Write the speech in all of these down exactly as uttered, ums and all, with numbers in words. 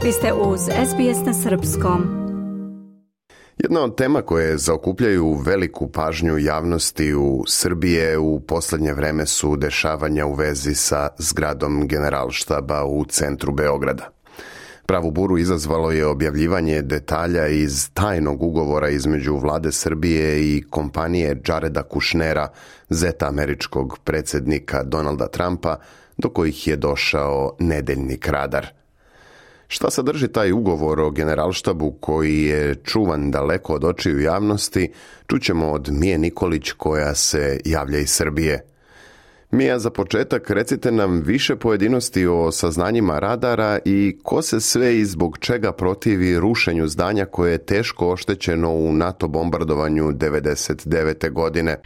Vi ste uz S B S na srpskom. Jedna od tema koje zaokupljaju veliku pažnju javnosti u Srbije u posljednje vreme su dešavanja u vezi sa zgradom Generalštaba u centru Beograda. Pravu buru izazvalo je objavljivanje detalja iz tajnog ugovora između vlade Srbije i kompanije Jareda Kushnera, zeta američkog predsjednika Donalda Trumpa, do kojih je došao nedeljnik Radar. Šta sadrži taj ugovor o Generalštabu koji je čuvan daleko od očiju javnosti, čućemo od Mije Nikolić koja se javlja iz Srbije. Mija, za početak recite nam više pojedinosti o saznanjima Radara i ko se sve i zbog čega protivi rušenju zdanja koje je teško oštećeno u NATO bombardovanju devedeset devete. godine.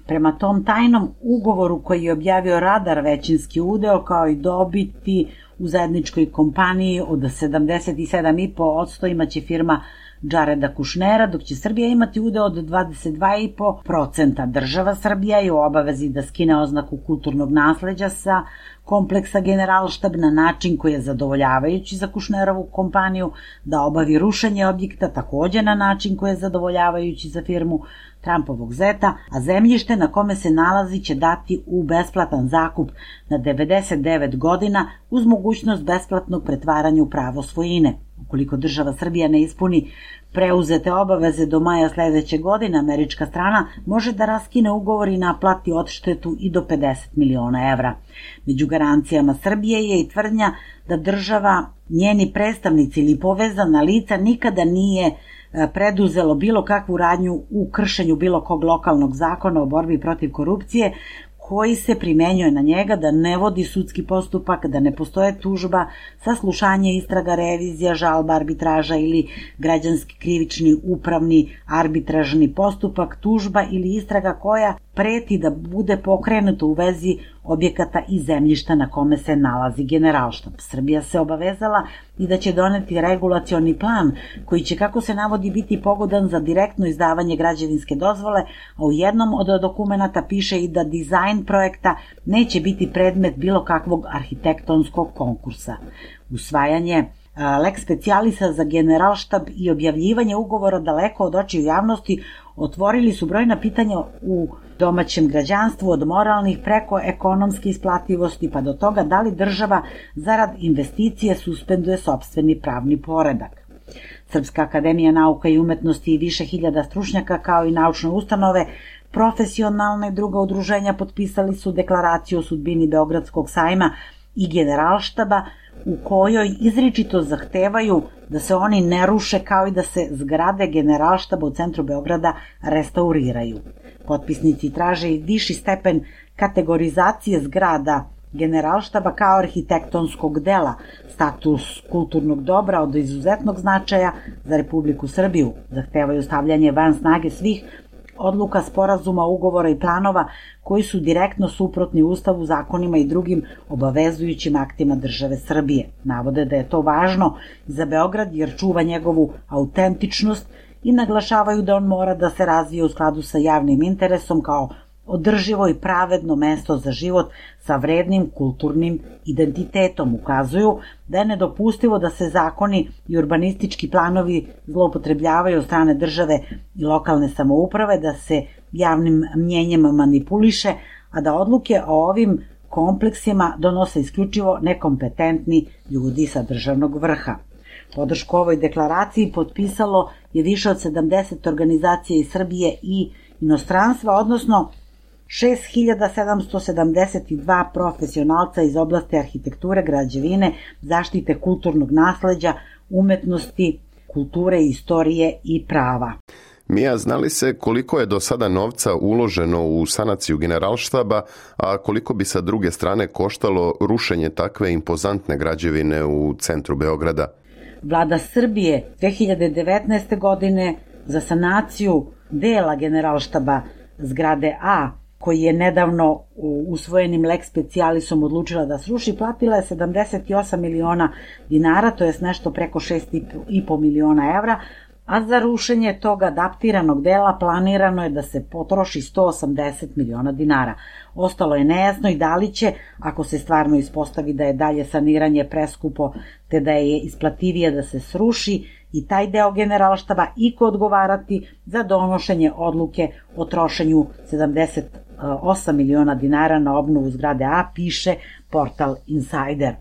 Prema tom tajnom ugovoru koji je objavio Radar većinski udeo kao i dobiti u zajedničkoj kompaniji od sedamdeset sedam zarez pet posto imaće firma Jareda Kushnera, dok će Srbija imati udeo od dvadeset dva zarez pet posto. Država Srbija je u obavezi da skine oznaku kulturnog nasleđa sa kompleksa Generalštab na način koji je zadovoljavajući za Kushnerovu kompaniju, da obavi rušenje objekta takođe na način koji je zadovoljavajući za firmu Trumpovog zeta, a zemljište na kome se nalazi će dati u besplatan zakup na devedeset devet godina uz mogućnost besplatnog pretvaranja u pravo svojine. Ukoliko država Srbija ne ispuni preuzete obaveze do maja sledeće godine, američka strana može da raskine ugovor i naplati odštetu i do pedeset miliona evra. Među garancijama Srbije je i tvrdnja da država, njeni predstavnici ili povezana lica nikada nije preduzelo bilo kakvu radnju u kršenju bilo kog lokalnog zakona o borbi protiv korupcije koji se primenjuje na njega, da ne vodi sudski postupak, da ne postoje tužba, saslušanje, istraga, revizija, žalba, arbitraža ili građanski, krivični, upravni, arbitražni postupak, tužba ili istraga koja preti da bude pokrenuta u vezi objekata i zemljišta na kome se nalazi Generalštab. Srbija se obavezala i da će doneti regulacioni plan koji će, kako se navodi, biti pogodan za direktno izdavanje građevinske dozvole, a u jednom od dokumenata piše i da dizajn projekta neće biti predmet bilo kakvog arhitektonskog konkursa. Usvajanje lex specialisa za Generalštab i objavljivanje ugovora daleko od očiju javnosti otvorili su brojna pitanja u domaćem građanstvu, od moralnih preko ekonomske isplativosti pa do toga da li država zarad investicije suspenduje sopstveni pravni poredak. Srpska akademija nauka i umetnosti i više hiljada stručnjaka kao i naučne ustanove, profesionalne i druga udruženja potpisali su deklaraciju o sudbini Beogradskog sajma i Generalštaba u kojoj izričito zahtevaju da se oni ne ruše kao i da se zgrade Generalštaba u centru Beograda restauriraju. Potpisnici traže i viši stepen kategorizacije zgrada Generalštaba kao arhitektonskog dela, status kulturnog dobra od izuzetnog značaja za Republiku Srbiju. Zahtevaju stavljanje van snage svih odluka, sporazuma, ugovora i planova koji su direktno suprotni Ustavu, zakonima i drugim obavezujućim aktima države Srbije. Navode da je to važno za Beograd jer čuva njegovu autentičnost i naglašavaju da on mora da se razvije u skladu sa javnim interesom kao održivo i pravedno mesto za život sa vrednim kulturnim identitetom. Ukazuju da je nedopustivo da se zakoni i urbanistički planovi zloupotrebljavaju od strane države i lokalne samouprave, da se javnim mnjenjem manipuliše, a da odluke o ovim kompleksima donose isključivo nekompetentni ljudi sa državnog vrha. Podršku ovoj deklaraciji potpisalo je više od sedamdeset organizacija iz Srbije i inostranstva, odnosno šest hiljada sedamsto sedamdeset dva profesionalca iz oblasti arhitekture, građevine, zaštite kulturnog nasleđa, umetnosti, kulture, istorije i prava. Mija, zna li se koliko je do sada novca uloženo u sanaciju Generalštaba, a koliko bi sa druge strane koštalo rušenje takve impozantne građevine u centru Beograda? Vlada Srbije dve hiljade devetnaeste. godine za sanaciju dela Generalštaba zgrade A, koji je nedavno usvojenim lex specialisom odlučila da sruši, platila je sedamdeset osam miliona dinara, to je nešto preko šest i po miliona evra, a za rušenje tog adaptiranog dela planirano je da se potroši sto osamdeset miliona dinara. Ostalo je nejasno i da li će, ako se stvarno ispostavi da je dalje saniranje preskupo te da je isplativije da se sruši i taj deo Generalštaba, iko odgovarati za donošenje odluke o trošenju sedamdeset osam miliona dinara na obnovu zgrade A, piše portal Insider.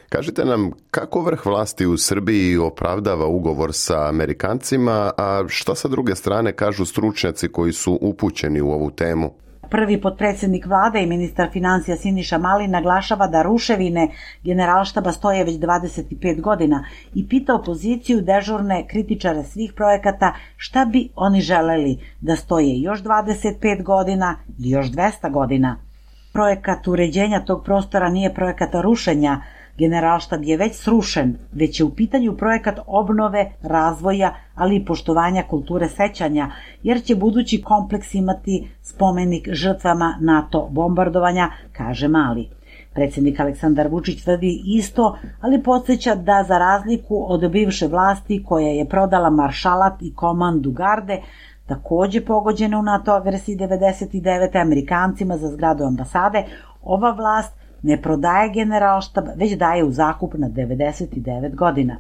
Kažite nam, kako vrh vlasti u Srbiji opravdava ugovor sa Amerikancima, a šta sa druge strane kažu stručnjaci koji su upućeni u ovu temu? Prvi potpredsjednik vlade i ministar financija Siniša Mali naglašava da ruševine Generalštaba stoje već dvadeset pet godina i pita opoziciju, dežurne kritičare svih projekata, šta bi oni želeli, da stoje još dvadeset pet godina ili još dvesta godina. Projekat uređenja tog prostora nije projekat rušenja, Generalštab je već srušen, već je u pitanju projekat obnove, razvoja, ali i poštovanja kulture sećanja, jer će budući kompleks imati spomenik žrtvama NATO bombardovanja, kaže Mali. Predsjednik Aleksandar Vučić tvrdi isto, ali podsjeća da za razliku od bivše vlasti koja je prodala maršalat i komandu garde, takođe pogođene u NATO agresiji devedeset devete Amerikancima za zgradu ambasade, ova vlast ne prodaje Generalštab, već daje u zakup na devedeset devet godina.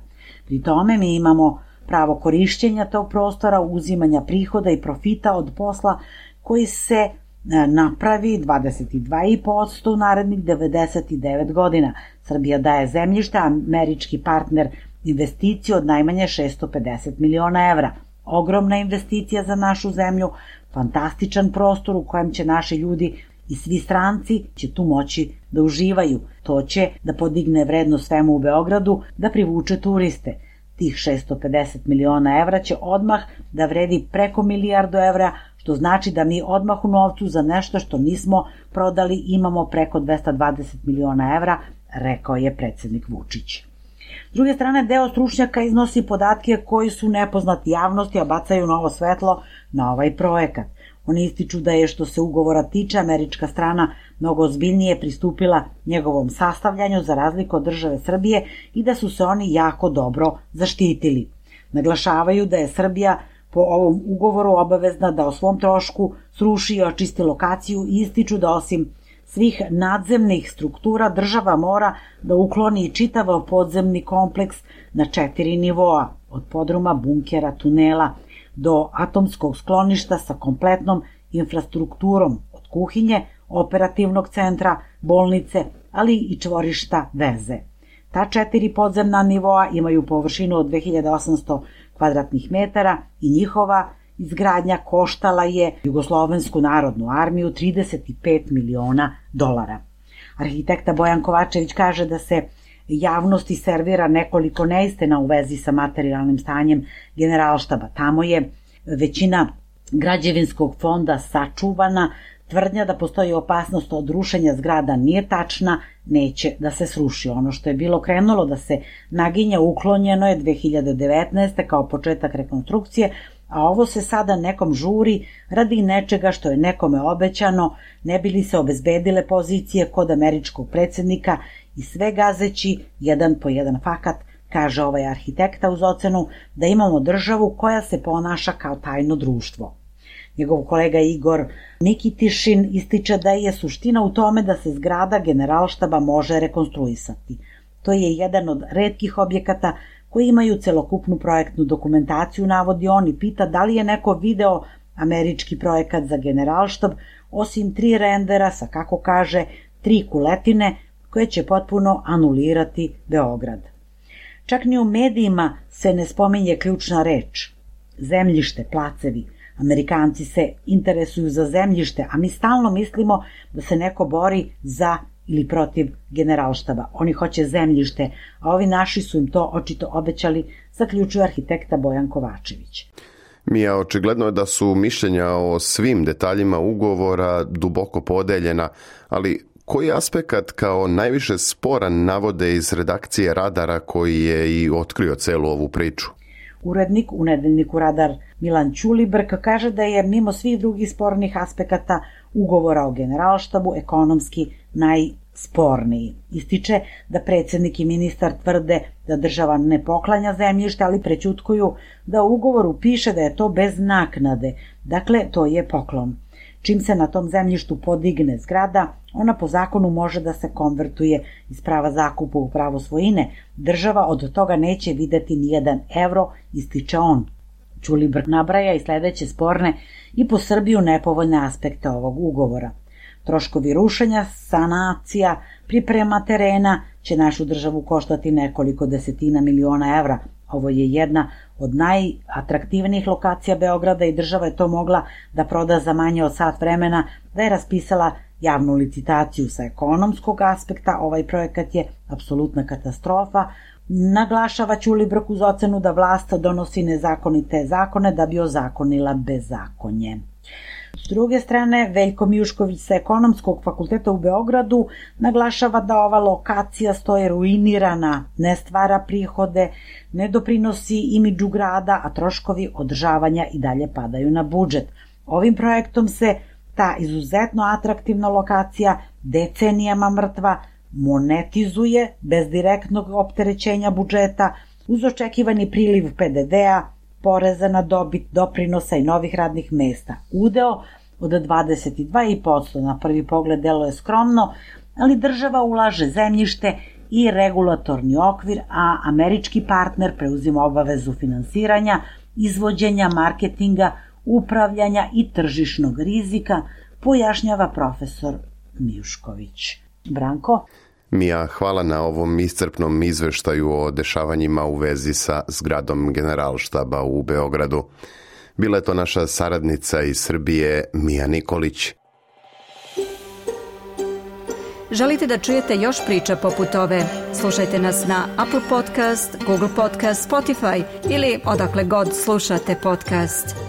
Pri tome mi imamo pravo korišćenja tog prostora, uzimanja prihoda i profita od posla koji se napravi dvadeset dva i po posto u narednih devedeset devet godina. Srbija daje zemljište, američki partner investiciju od najmanje šesto pedeset miliona evra. Ogromna investicija za našu zemlju, fantastičan prostor u kojem će naši ljudi i svi stranci će tu moći da uživaju. To će da podigne vrednost svemu u Beogradu, da privuče turiste. Tih šesto pedeset miliona evra će odmah da vredi preko milijardu evra, što znači da mi odmah u novcu za nešto što nismo prodali imamo preko dvesta dvadeset miliona evra, rekao je predsjednik Vučić. S druge strane, deo stručnjaka iznosi podatke koji su nepoznati javnosti, a bacaju novo svetlo na ovaj projekat. Oni ističu da je, što se ugovora tiče, američka strana mnogo ozbiljnije pristupila njegovom sastavljanju za razliku od države Srbije i da su se oni jako dobro zaštitili. Naglašavaju da je Srbija po ovom ugovoru obavezna da o svom trošku sruši i očisti lokaciju i ističu da osim svih nadzemnih struktura država mora da ukloni čitav podzemni kompleks na četiri nivoa, od podruma, bunkera, tunela do atomskog skloništa sa kompletnom infrastrukturom, od kuhinje, operativnog centra, bolnice, ali i čvorišta veze. Ta četiri podzemna nivoa imaju površinu od dve hiljade osamsto kvadratnih metara i njihova izgradnja koštala je Jugoslovensku narodnu armiju trideset pet miliona dolara. Arhitekta Bojan Kovačević kaže da se javnosti servira nekoliko neistina u vezi sa materijalnim stanjem Generalštaba. Tamo je većina građevinskog fonda sačuvana, tvrdnja da postoji opasnost od rušenja zgrada nije tačna, neće da se sruši. Ono što je bilo krenulo da se naginja uklonjeno je dve hiljade devetnaeste kao početak rekonstrukcije, a ovo se sada nekom žuri radi nečega što je nekome obećano, ne bi li se obezbedile pozicije kod američkog predsjednika i sve gazeći jedan po jedan fakat, kaže ovaj arhitekta uz ocenu da imamo državu koja se ponaša kao tajno društvo. Njegov kolega Igor Nikitišin ističe da je suština u tome da se zgrada Generalštaba može rekonstruisati. To je jedan od retkih objekata koji imaju celokupnu projektnu dokumentaciju, navodi on, i pita da li je neko video američki projekat za Generalštab, osim tri rendera sa, kako kaže, tri kuletine koje će potpuno anulirati Beograd. Čak ni u medijima se ne spominje ključna reč. Zemljište, placevi. Amerikanci se interesuju za zemljište, a mi stalno mislimo da se neko bori za ili protiv Generalštaba. Oni hoće zemljište, a ovi naši su im to očito obećali, zaključuje arhitekta Bojan Kovačević. Mija, očigledno je da su mišljenja o svim detaljima ugovora duboko podeljena, ali koji aspekt kao najviše sporan navode iz redakcije Radara koji je i otkrio celu ovu priču? Urednik u nedeljniku Radar Milan Ćulibrk kaže da je mimo svih drugih spornih aspekata ugovora o Generalštabu ekonomski sporniji. Ističe da predsjednik i ministar tvrde da država ne poklanja zemljište, ali prećutkuju da u ugovoru piše da je to bez naknade, dakle to je poklon. Čim se na tom zemljištu podigne zgrada, ona po zakonu može da se konvertuje iz prava zakupa u pravo svojine. Država od toga neće videti nijedan evro, ističe on. Ćulibrk nabraja i sledeće sporne i po Srbiju nepovoljne aspekte ovog ugovora. Troškovi rušenja, sanacija, priprema terena će našu državu koštati nekoliko desetina miliona evra. Ovo je jedna od najatraktivnijih lokacija Beograda i država je to mogla da proda za manje od sat vremena da je raspisala javnu licitaciju. Sa ekonomskog aspekta ovaj projekat je apsolutna katastrofa. Naglašava Ćulibrk uz ocenu da vlast donosi nezakonite zakone da bi ozakonila bezakonje. S druge strane, Veljko Mijušković sa Ekonomskog fakulteta u Beogradu naglašava da ova lokacija stoje ruinirana, ne stvara prihode, ne doprinosi imidžu grada, a troškovi održavanja i dalje padaju na budžet. Ovim projektom se ta izuzetno atraktivna lokacija, decenijama mrtva, monetizuje bez direktnog opterećenja budžeta, uz očekivani priliv P D D-a, poreza na dobit, doprinosa i novih radnih mesta. Udeo od dvadeset dva i po posto na prvi pogled deluje skromno, ali država ulaže zemljište i regulatorni okvir, a američki partner preuzima obavezu finansiranja, izvođenja, marketinga, upravljanja i tržišnog rizika, pojašnjava profesor Mijušković. Branko? Mija, hvala na ovom iscrpnom izveštaju o dešavanjima u vezi sa zgradom Generalštaba u Beogradu. Bila je to naša saradnica iz Srbije, Mija Nikolić. Želite da čujete još priča poput ove? Slušajte nas na Apple Podcast, Google Podcast, Spotify ili odakle god slušate podcast.